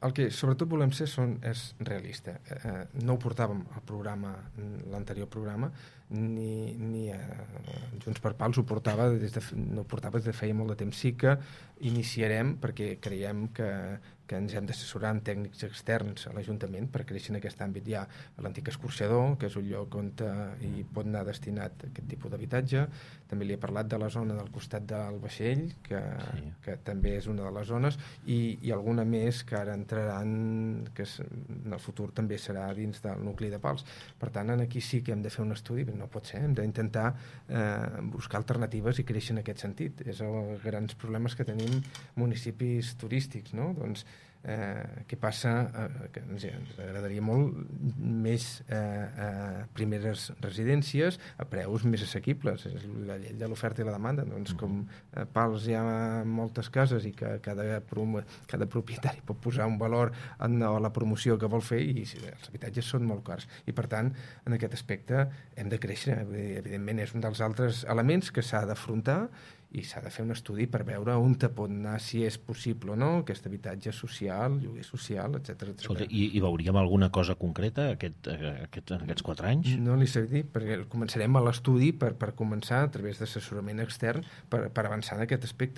El que sobretot volem ser és realista. No ho portàvem al programa, l'anterior programa, ni Junts per Pals ho portava no ho portava des de feia molt de temps. Sí que iniciarem, perquè creiem que ens hem d'assessorar amb tècnics externs a l'Ajuntament per créixer en aquest àmbit. Hi ha l'antic escorxador, que és un lloc on hi pot anar destinat aquest tipus d'habitatge. També li he parlat de la zona del costat del vaixell, que també és una de les zones, i alguna més que ara entraran, que en el futur també serà dins del nucli de Pals. Per tant, aquí sí que hem de fer un estudi, no pot ser, hem d'intentar buscar alternatives i créixer en aquest sentit. És els grans problemes que tenim municipis turístics, no? Doncs què passa? Que ens agradaria molt més primeres residències a preus més assequibles. És la llei de l'oferta i la demanda. Doncs com a Pals hi ha moltes cases i que cada propietari pot posar un valor a la promoció que vol fer, i els habitatges són molt cars. I per tant, en aquest aspecte hem de créixer. Evidentment és un dels altres elements que s'ha d'afrontar, i s'ha de fer un estudi per veure on te pot anar, si és possible o no, aquest habitatge social, lloguer social, etc. Escolta, i veuríem alguna cosa concreta aquests 4 anys? No li sé dir, perquè començarem a l'estudi per començar a través d'assessorament extern per avançar en aquest aspecte.